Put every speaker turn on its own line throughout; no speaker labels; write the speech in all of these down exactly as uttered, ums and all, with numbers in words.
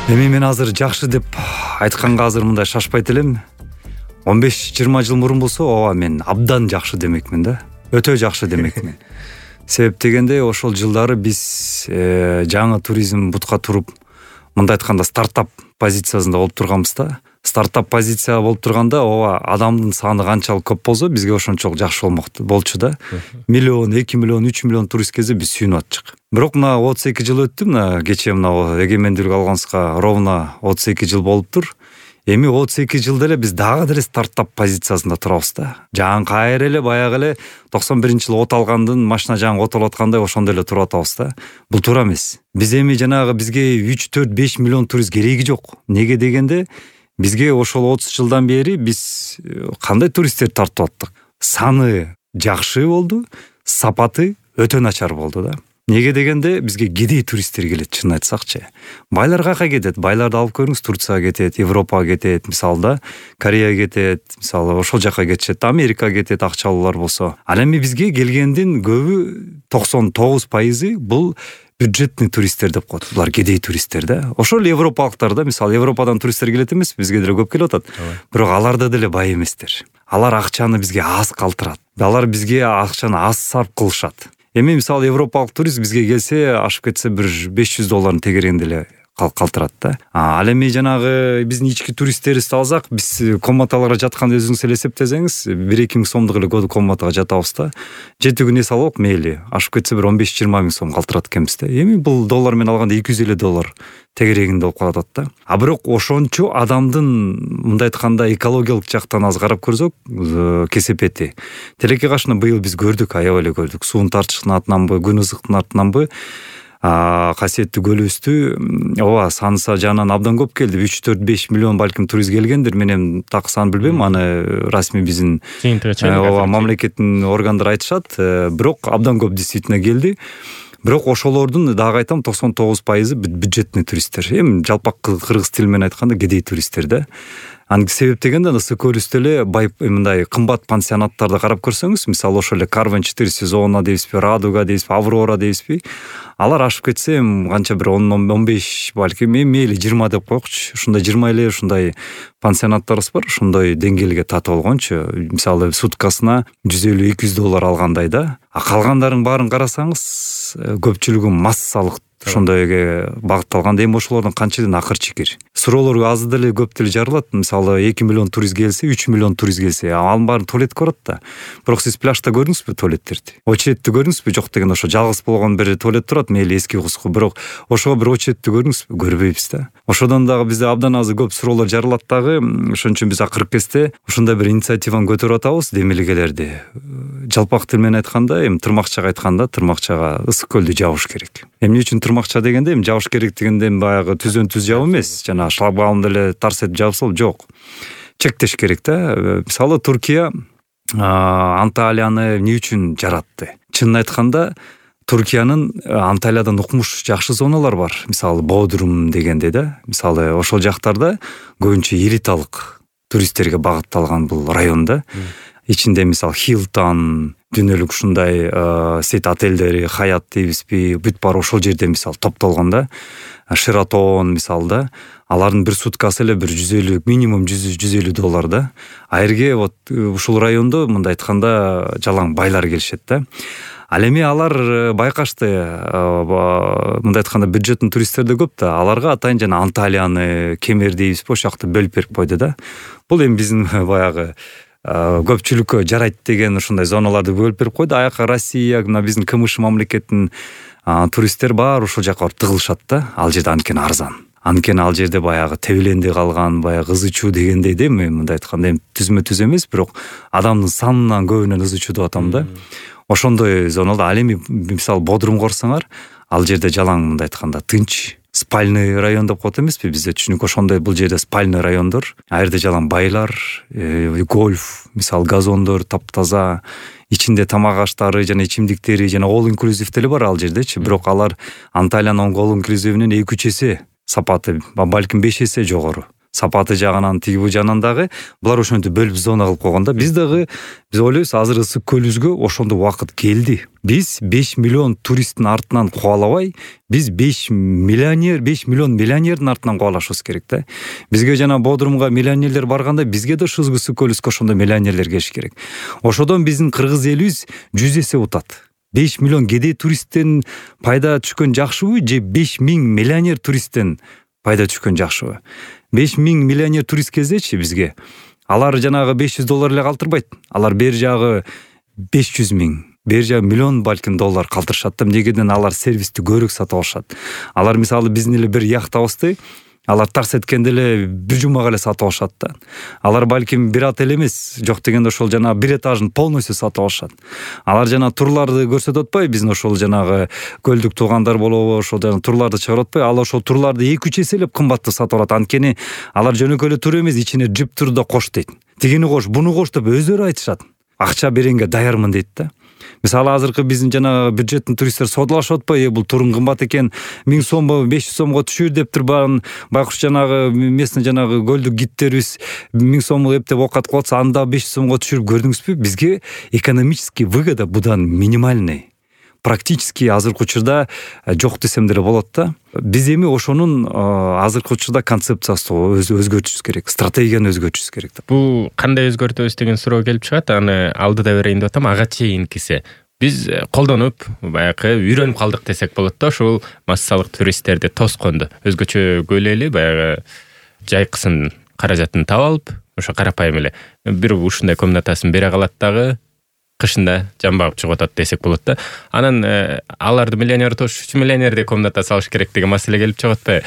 Эми мен азыр жакшы деп айтканга азыр мындай шашпайт элем. он беш жыйырма жыл мурун болсо, ооба мен абдан жакшы демекмин да. Өтө жакшы демекмин. Себеп дегенде ошол жылдары биз э, жаңы туризм бутка туруп, мындай айтканда стартап позициясында болуп турганбыз да. Стартап позиция болуп турганда, ооба адамдын саны канчалык көп болсо, бизге ошончолук жакшы болмокту, болчу да. Миллион, эки миллион, үч миллион турист келсе биз сүйүнүп атчык. Бирок мына отуз эки жыл өттү, мына кечээ мына эгемендүүлүк алганыбызга ровно отуз эки жыл болуптур. Эми отуз эки жылда эле биз дагы деле стартап позициясында турабыз да. Жаңы кайра эле баягы эле токсон биринчи жылы от алгандын машина жаңы от алып аткандай ошондой эле туруп атабыз да. Бул туура эмес. Биз эми жанагы бизге үч, төрт, беш миллион турист кереги жок. Неге дегенде бизге ошол отуз жылдан бери биз кандай туристтер тартып аттык? Саны жакшы болду, сапаты өтө начар болду да. Неге дегенде бизге кедей туристтер келет, чын айтсакчы. Байлар кака кетет? Байларды алып көрүңүз, Турцияга кетет, Европага кетет, мисалы да, Кореяга кетет, мисалы ошол жака кетишет, Америкага кетет акчалуулар болсо. Ал эми бизге келгендин көбү токсон тогуз пайызы бул бюджетный туристтер деп коет. Булар кедей туристтер да. Ошол европалыктар да, мисалы Европадан туристтер келет эмес, бизге деле көп келип атат. Бирок алар да деле бай эместер. Алар акчаны бизге аз калтырат. Алар бизге акчаны аз сарп кылышат. Эми мисалы европалык турист бизге келсе, ашып кетсе бир беш жүз долларын тегерегинде эле калтырат да. А ал эми жанагы биздин ички туристтерибизди алсак, биз комнаталарга жатканда өзүңүз эле эсептесеңиз, бир эки миң сомдук эле комнатага жатабыз да. Жети күн эс алып мейли, ашып кетсе бир он беш жыйырма миң сом калтырат экенбиз да. Эми бул доллар менен алганда эки жүз элүү доллар тегерегинде болуп калат да. А бирок ошончо адамдын мындай айтканда экологиялык жактан аз карап көрсөк, кесепети. Телеке кашына быйыл биз көрдүк, аябай эле көрдүк. Суунун тартышынын артынанбы, күн ызыктын артынанбы А касиеттүү көлүбүздү ооба саныса жанынан абдан көп келди. үч, төрт, беш миллион балким турист келгендир. Мен так сан билбейм, аны расмий биздин ооба мамлекеттин органдары айтышат. Бирок абдан көп действительно келди. Бирок ошолордун дагы айтам токсон тогуз пайызы бюджетный туристтер. Эми жалпак кыргыз тили менен айтканда кедей туристтер да. Аны себеп дегенде ысык көлүстө эле бай мындай кымбат пансионаттарды карап көрсөңүз, мисалы ошол эле Карвен четыре сезона дейбизби, Радуга дейбизби, Аврора дейбизби, алар ашып кетсе канча бир он он беш балким мейли жыйырма деп коёкчу. Ушундай жыйырма эле ушундай пансионаттарыбыз бар, ушундай деңгээлге татып алгончу. Мисалы суткасына жүз элүү эки жүз доллар алгандай да. А калгандарынын баарын карасаңыз, көпчүлүгү массалык ошондойго багытталган. Эми ошолордун канчадан акыр чекир. Суроолор аз деле көп деле жарылат. Мисалы эки миллион турист келсе, үч миллион турист келсе, анын баарын туалетке барат да. Бирок сиз пляжда көрдүңүзбү туалеттерди? Очередти көрдүңүзбү? Жок деген ошо жалгыз болгон бир туалет турат, мейли эски куску. Бирок ошого бир очередти көрдүңүзбү? Көрбөйбүз да. Ошодон дагы бизде абдан аз көп суроолор жарылат дагы. Ошон үчүн биз акыркы кезде ушундай бир инициативаны көтөрүп атабыз, демилгелерди. Жалпак тил менен айтканда, эми тырмакчага айтканда, тырмакчага ысык көлдү жабыш керек. Эмне үчүн тырмакча дегенде эми жабыш керек дегенде баягы түзөн түз жабуу эмес, жана шлагбаумду эле тарс этип жабсал жок. Чектеш керек да. Мисалы Туркия Анталияны эмне үчүн жаратты? Чынын айтканда, Туркиянын Анталиядан укмуш жакшы зоналар бар. Мисалы Бодрум дегенде да. Мисалы ошол жактарда көбүнчө элиталык туристтерге багытталган бул район да. Ичинде мисалы Хилтон, дүйнөлүк ушундай сет отелдери, Хаят дейбизби, бүт бар ошол жерде мисалы топтолгон да. Шератон мисалы да. Алардын бир суткасы эле бир жүз элүү, минимум жүз элүү доллар да. Айрге вот ушул райондо мындай айтканда жалаң байлар келишет да. Ал эми алар байкашты, мындай айтканда бюджеттин туристтер да көп да. Аларга атайын жана Анталияны, Кемер дейбизби, ошол жакты бөлүп берип койду да. Бул эми биздин баягы көпчүлүккө жарайт деген ушундай зоналарды бөлүп берип койду. Аяка Россия, мына биздин КМШ мамлекеттин туристтер бар, ушул жака барып тыгылышат да. Ал жерде анткени арзан. Анткени ал жерде баягы тебеленди калган, баягы ызы чуу дегендей да, эми мындай айтканда эми түзмө түз эмес, бирок адамдын санынан көбүнөн ызы чуу деп атам да. Ошондой зоналда. Ал эми мисалы Бодрумга барсаңар, ал жерде жалаң мындай айтканда тынч, спальный район деп коет эмеспи бизде, түшүнүк ошондой. Бул жерде спальный райондор, а жерде жалаң байлар, гольф, мисалы газондор таптаза, ичинде тамак аштары жана ичимдиктери жана all inclusive деле бар ал жердечи. Бирок алар Анталиянын all inclusive'инен эки үч эсе сапаты, балким беш эсе жогору. сапаты жагынан тиги бу жагынан дагы булар ошентип бөлүп зона кылып койгон да. Биз дагы биз ойлойбуз азыр ысык көлүбүзгө ошондой убакыт келди. Биз беш миллион туристтин артынан кубалабай, биз беш миллионер, беш миллион миллионердин артынан кубалашыбыз керек да. Бизге жана Бодрумга миллионерлер барганда бизге да ушул ысык көлүбүзгө ошондой миллионерлер келиш керек. Ошодон биздин кыргыз элибиз жүз эсе утат. беш миллион кедей туристтен пайда түшкөн жакшыбы же беш миң миллионер туристтен пайда түшкөн жакшыбы? беш миң миллионер турист келсечи бизге, алар жанагы беш жүз доллар эле калтырбайт. Алар бер жагы беш жүз миң, бер жагы миллион балким доллар калтырышат да. Эмнегеден алар сервисти көбүрөөк сатып алышат. Алар мисалы биздин эле бир яхтабызды алар тарс эткенде эле бир жумага эле сатып алышат да. Алар балким бир отель эмес, жок дегенде ошол жана бир этажын полностью сатып алышат. Алар жана турларды көрсөтүп атпайбы, биздин ошол жанагы көлдүк туугандар болобу, ошол жана турларды чыгарып атпайбы? Ал ошол турларды эки үч эселеп кымбаттап сатып алат. Анткени алар жөнөкөй эле тур эмес, ичине джип тур да кош дейт. Тигини кош, буну кош деп өздөрү айтышат. Акча бергенге даярмын дейт да. Мисалы азыркы биздин жана бюджеттин туристтер содалашып атпайбы? Бул турун кымбат экен, миң сомго, беш жүз сомго түшүр деп турбаган байкуш жанагы местный жанагы көлдүк гидтерибиз миң сомго эптеп оокат кылып атса, анда беш жүз сомго түшүрүп көрдүңүзбү? Бизге экономический выгода будан минимальный. Практически азыркы учурда жок десем деле болот да. Биз эми ошонун азыркы учурда концепциясын өзгөртүшүбүз керек, стратегияны өзгөртүшүбүз керек да.
Бул кандай өзгөртөбүз деген суроо келип чыгат. Аны алдыда берейин деп атам. Ага чейинкиси биз колдонуп, баягы үйрөнүп калдык десек болот да. Ошол массалык туристтерди тосконду өзгөчө көлөөлү, баягы жайкысын каражатын таап алып, ошо карапайым эле бир ушундай комнатасын бере калат дагы кышында жан багып чыгып атат десек болот да. Анан э, аларды миллионер тошуш үчүн миллионердей комната салыш керек деген маселе келип чыгып атпайбы?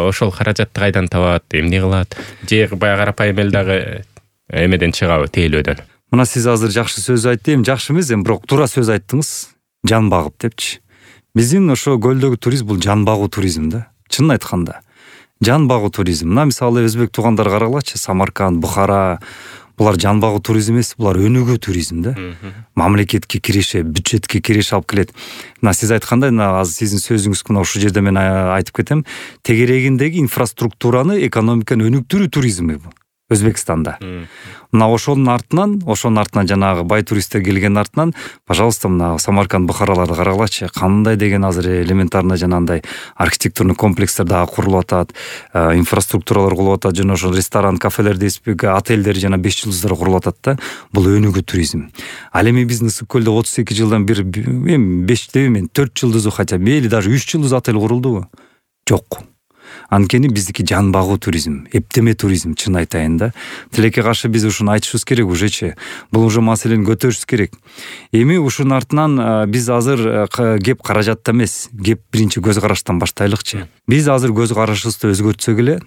Ошол каражатты кайдан табат, эмне кылат? Же баягы карапайым эл дагы эмеден чыгабы, тейлөөдөн?
Мына сиз азыр жакшы сөз айтты, эми жакшы эмес, эми бирок туура сөз айттыңыз. Жан багып депчи. Биздин ошо көлдөгү туризм бул жан багуу туризм да. Чынын айтканда. Жан багуу туризм. Мына мисалы өзбек туугандар карагылачы, Самарканд, Бухара, булар жан багуу туризм эмес, булар өнүгүү туризм да. Мамлекетке киреше, бюджетке киреше алып келет. Мына сиз айткандай, азыр сиздин сөзүңүз мына ушул жерде мен айтып кетем. Тегерегиндеги инфраструктураны, экономиканы өнүктүрүү туризми бул Өзбекстанда. Мына ошонун артынан, ошонун артынан жанагы бай туристтер келген артынан, пожалуйста, мына Самарканд, Бухараларды карагылачы, кандай деген азыр элементарный жанагындай архитектурный комплекстер дагы курулуп атат, инфраструктуралар курулуп атат, жана ошол ресторан, кафелер дейсизби, отелдер жана беш жылдыздар курулуп атат да. Бул өнүгүү туризм. Ал эми биздин ысык көлдө отуз эки жылдан бир эми беш деп эми төрт жылдызы хотя бы или даже үч жылдыз отель курулдубу? Жок. Анткени биздики жан багуу туризм, эптеме туризм, чын айтайын да. Тилекке каршы биз ушуну айтышыбыз керек ужечи. Бул уже маселени көтөрүшүбүз керек. Эми ушунун артынан биз азыр кеп каражатта эмес, кеп биринчи көз караштан баштайлыкчы. Биз азыр көз карашыбызды өзгөртсөк эле,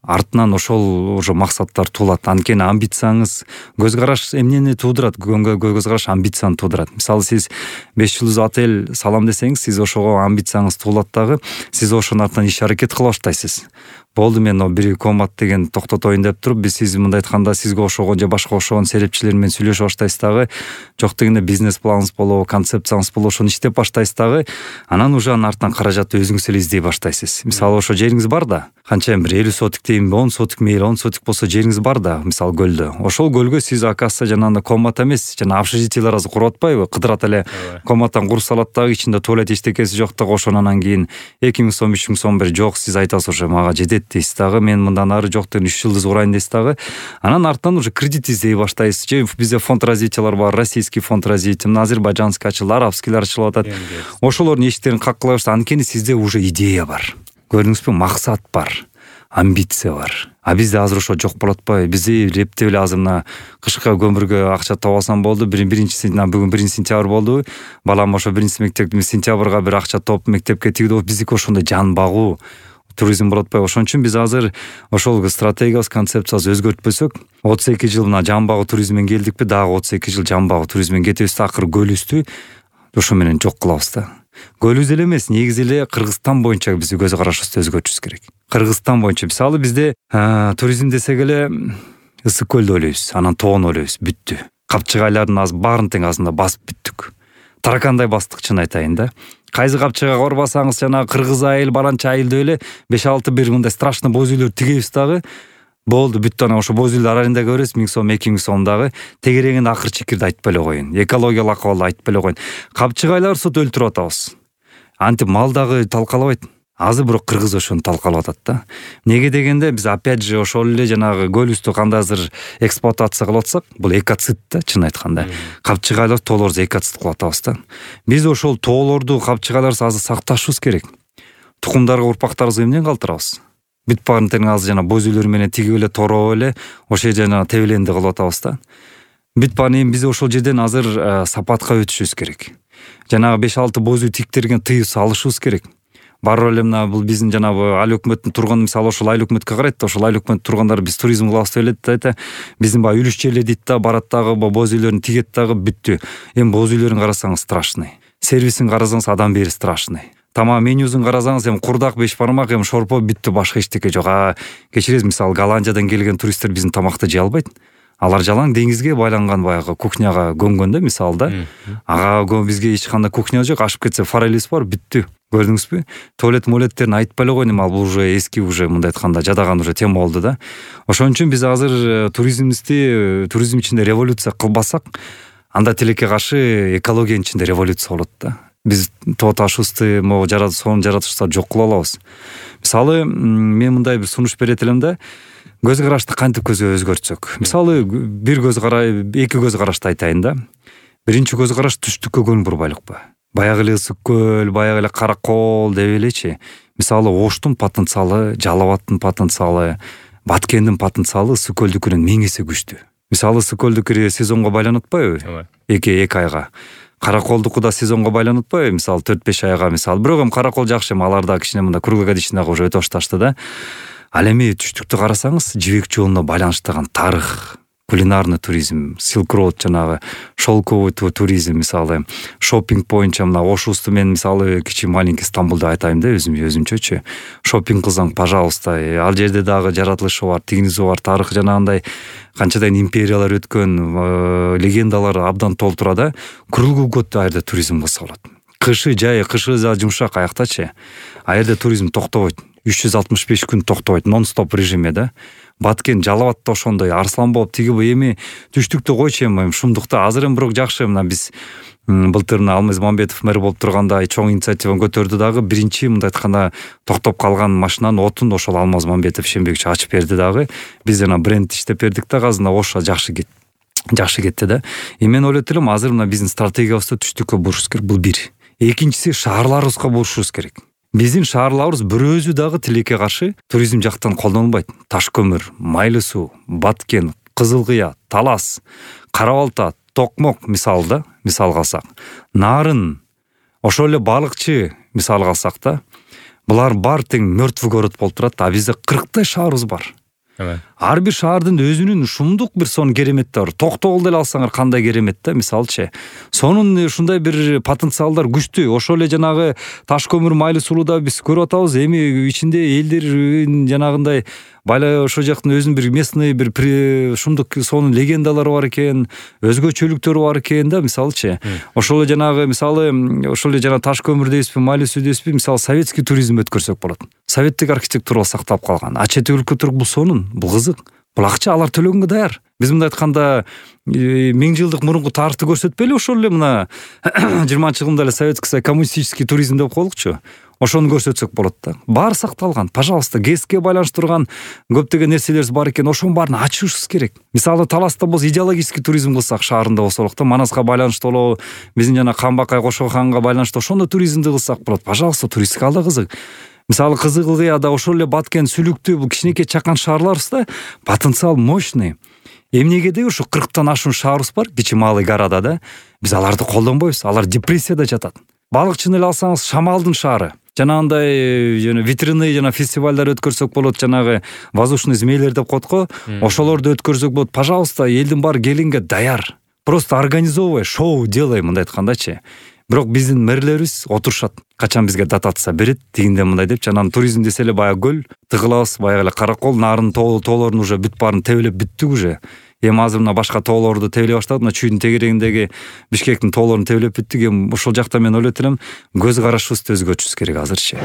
артынан ошол уже максаттар туулат. Анткени амбицияңыз, көз караш эмнени туудурат? Көз караш амбицияны туудурат. Мисалы сиз беш жылдыз отель салам десеңиз, сиз ошого амбицияңыз туулат дагы, сиз ошонун артынан иш аракет кыла баштайсыз. Болду, мен о бир комат деген токтотоюн деп туруп, биз сиз мындай айтканда сизге ошогон же башка ошогон серепчилер менен сүйлөшүп баштайсыз дагы, жок дегенде бизнес планыңыз болобу, концепцияңыз болобу, ошону иштеп баштайсыз дагы, анан уже анын артынан каражатты өзүңүз эле издей баштайсыз. Мисалы ошо жериңиз бар да, канчайым бир элүү сотик дейм, он сотик мейли, он сотик болсо жериңиз бар да, мисалы көлдө. Ошол көлгө сиз акаса жанагындай комната эмес, жана общежитиялар азыр куруп атпайбы? Кыдырат эле комнатан куруп салат дагы, ичинде туалет эчтекеси жок дагы, ошону анан кийин эки миң сом, үч миң сом бир жок, сиз айтасыз уже мага жетет дейсиз дагы, мен мындан ары жок деген үч жылдыз курайын дейсиз дагы. Анан артынан уже кредит издей баштайсыз. Же бизде фонд развитиялар бар, российский фонд развития, азербайджанский ачылды, арабскийлер ачылып атат. Ошолордун эшиктерин каккылабыз, анткени сизде уже идея бар. Көрдүңүзбү, максат бар, амбиция бар. А бизде азыр ошо жок болот атпайбы? Бизде рептеп эле азыр мына кышкы көмүргө акча таап алсам болду. Биринчи бүгүн биринчи сентябрь болду. Балам ошо биринчи мектеп сентябрга бир акча тооп мектепке тигип, биздики ошондой жан багуу туризм болот атпайбы? Ошон үчүн биз азыр ошол стратегиябыз, концепциябызды өзгөртпөсөк, отуз эки жыл мына жан багуу туризммен келдикпи, дагы отуз эки жыл жан багуу туризммен кетебиз, акыры көлүбүздү ошо менен жок кылабыз да. Көлүбүз эле эмес, негизи эле Кыргызстан боюнча биз көз карашыбызды өзгөртүшүбүз керек. Кыргызстан боюнча мисалы бизде туризм десек эле ысык көлдү ойлойбуз, анан тоону ойлойбуз, бүттү. Капчыгайлардын аз баарын тең азында басып бүттүк. Таракандай бастык, чын айтайын да. Кайсы капчыгайга орбасаңыз жанагы кыргыз айыл, баланча айыл деп эле беш алты бир мындай страшный боз үйлөр тигебиз дагы. болду бүттү, анан ошо боз үйлдү аралыгында көрөсүз, миң сом эки миң сом дагы тегерегин акыр чикирди айтпай эле коеюн, экологиялык акыбалды айтпай эле коеюн, капчыгайларыбызды өлтүрүп атабыз. Антип мал дагы талкалабайт. Азыр бирок кыргыз ошону талкалап атат да. Неге дегенде биз опять же ошол эле жанагы көлүбүздү кандайдыр эксплуатация кылып атсак, бул экоцид да, чын айтканда. Капчыгайларды тоолорду экоцид кылып атабыз да. Биз ошол тоолорду, капчыгайларды азыр сакташыбыз керек. Тукумдарга, урпактарыбызга эмнен калтырабыз? Бүт баарын тең азыр жана боз үйлөр менен тигип эле тороп эле ошол жана тебеленди кылып атабыз да. Бүт баарын эми биз ошол жерден азыр сапатка өтүшүбүз керек. Жанагы беш алты боз үй тиктерген тыюу салышыбыз керек. Барып эле мына бул биздин жанагы айыл өкмөттүн турган, мисалы ошол айыл өкмөткө карайт да, ошол айыл өкмөт тургандар биз туризм кылабыз деп элет да, биздин баягы үлүш жерлер дейт да, барат дагы боз үйлөрүн тигет дагы, бүттү. Эми боз үйлөрүн карасаңыз страшный. Сервисин карасаңыз адам бери страшный. Тамак менюсун карасаңыз эми курдак, беш бармак, эми шорпо, бүттү, башка эчтеке жок. А кечиресиз, мисалы Голландиядан келген туристтер биздин тамакты жей албайт. Алар жалаң деңизге байланган баягы кухняга көнгөн да, мисалы да. Ага бизге эч кандай кухня жок, ашып кетсе форелис бар, бүттү. Көрдүңүзбү? Туалет молеттерин айтпай эле коеюн, ал бул уже эски, уже мындай айтканда жадаган уже тема болду да. Ошон үчүн биз азыр туризмибизди, туризм ичинде революция кылбасак, анда тилекке каршы экологиянын ичинде революция болот да. Биз тоо ташыбызды, могу жарат, сонун жаратылышты жок кыла алабыз. Мисалы, мен мындай бир сунуш берет элем да. Көз карашты кантип көзгө өзгөртсөк. Мисалы, бир көз карай, эки көз карашты айтайын да. Биринчи көз караш түштүккө көңүл бурбайлыкпы? Баягы эле ысык көл, баягы эле каракол деп элечи. Мисалы, Оштун потенциалы, Жалал Абадтын потенциалы, Баткендин потенциалы ысык көлдүкүнөн миң эсе күчтүү. Мисалы, ысык көлдүкү сезонго байланып атпайбы? Эки эки айга. Караколдуку да сезонго байланып атпайбы? Мисалы, төрт беш айга мисалы. Бирок эми каракол жакшы, эми аларда кичине мында круглогодичныйга уже өтө башташты да. Ал эми түштүктү карасаңыз, жибек жолуна байланыштаган тарых, кулинарный туризм, Silk Road, жанагы шелковый туризм, мисалы, шопинг боюнча мына Ошубузду мен мисалы кичи маленький Стамбул деп айтайын да, өзүм өзүмчөчү. Шопинг кылсаң, пожалуйста, ал жерде дагы жаратылышы бар, тигинизи бар, тарых жанагындай канчадан империялар өткөн, легендалар абдан толтура да. Круглый год ал жерде туризм кылса болот. Кышы жайы, кышы да жумшак аяктачы. Ал жерде туризм токтобойт. үч жүз алтымыш беш күн токтобойт, нон-стоп режиме да. Баткен, Жалал Абадта ошондой, Арслан болуп тигиби, эми түштүктү койчу, эми шумдукта азыр эми бирок жакшы, мына биз былтыр мына Алмаз Мамбетов мэр болуп турганда чоң инициативаны көтөрдү дагы, биринчи мындай айтканда токтоп калган машинанын отун ошол Алмаз Мамбетов Шембекчи ачып берди дагы. Биз жана бренд иштеп бердик да, азыр Ошо жакшы кет. Жакшы кетти да. Эми мен ойлойт элем, азыр мына биздин стратегиябызды түштүккө бурушубуз керек, бул бир. Экинчиси, шаарларыбызга бурушубуз керек. Биздин шаарларыбыз бирөөзү дагы тилекке каршы туризм жактан колдонулбайт. Таш көмүр, Майлы суу, Баткен, Кызыл Кыя, Талас, Кара Балта, Токмок мисалы да, мисал калсак, Нарын, ошол эле балыкчы мисал калсак да, булар бар тең мертвый город болуп турат, а бизде кырктай шаарыбыз бар. Ар бир шаардын өзүнүн шумдук бир сонун кереметтери бар. Токтогулду эле алсаңар кандай керемет да, мисалчы. Сонун ушундай бир потенциалдар күчтүү. Ошол эле жанагы Таш көмүр, Майлы суулуда биз көрүп атабыз. Эми ичинде элдер жанагындай байла ошол жактын өзүнүн бир местный бир шумдук сонун легендалары бар экен, өзгөчөлүктөрү бар экен да, мисалчы. Ошол эле жанагы мисалы ошол эле жана Таш көмүр дейсизби, Майлы суу дейсизби, мисалы советский туризм өткөрсөк болот. Советтик архитектура сакталып калган. А чет өлкө турук бул сонун, бул кызык. Бул акча алар төлөнгө даяр. Биз мындай айтканда миң жылдык мурунку тарыхты көрсөтпөйлү, ошол эле мына жыйырманчы жылында эле советский коммунистический туризм деп коелукчу. Ошону көрсөтсөк болот да. Баары сакталган. Пожалуйста, ГЭСке байланыштырган көптөгөн нерселерибиз бар экен. Ошонун баарын ачышыбыз керек. Мисалы, Таласта болсо идеологический туризм кылсак, шаарында болсолук да, Манаска байланыштуу болобу, биздин жана Камбакай, Кошокханга байланыштуу ошондой туризмди кылсак болот. Пожалуйста, туристке ал да кызык. Мисалы, Кызыл Кыяда ошол эле Баткен, Сүлүктүү, бул кичинекей чакан шаарларыбызда потенциал мощный. Эмнегеде ушу кырктан ашуун шаарыбыз бар, кичи малый горада да. Биз аларды колдонбойбуз. Алар депрессияда жатат. Балыкчыны эле алсаңыз, Шамалдын шаары. Жанагындай жана витринный жана фестивалдар өткөрсөк болот, жанагы воздушный змейлер деп коет го. Ошолорду өткөрсөк болот. Пожалуйста, элдин баары келинге даяр. Просто организовывай, шоу делай, мындай айткандачы. Бирок биздин мэрлерибиз отурушат. Качан бизге дотация берет, тигинде мындай деп, жанагы туризм десе эле баягы көл, тыгылабыз, баягы эле Каракол, Нарын тоолорун уже бүт баарын тебелеп бүттүк уже. Эми азыр мына башка тоолорду тебелей баштадык, мына Чүйдүн тегерегиндеги Бишкектин тоолорун тебелеп бүттүк. Эми ошол жакта мен ойлойт элем, көз карашыбызды өзгөртүшүбүз керек азырчы.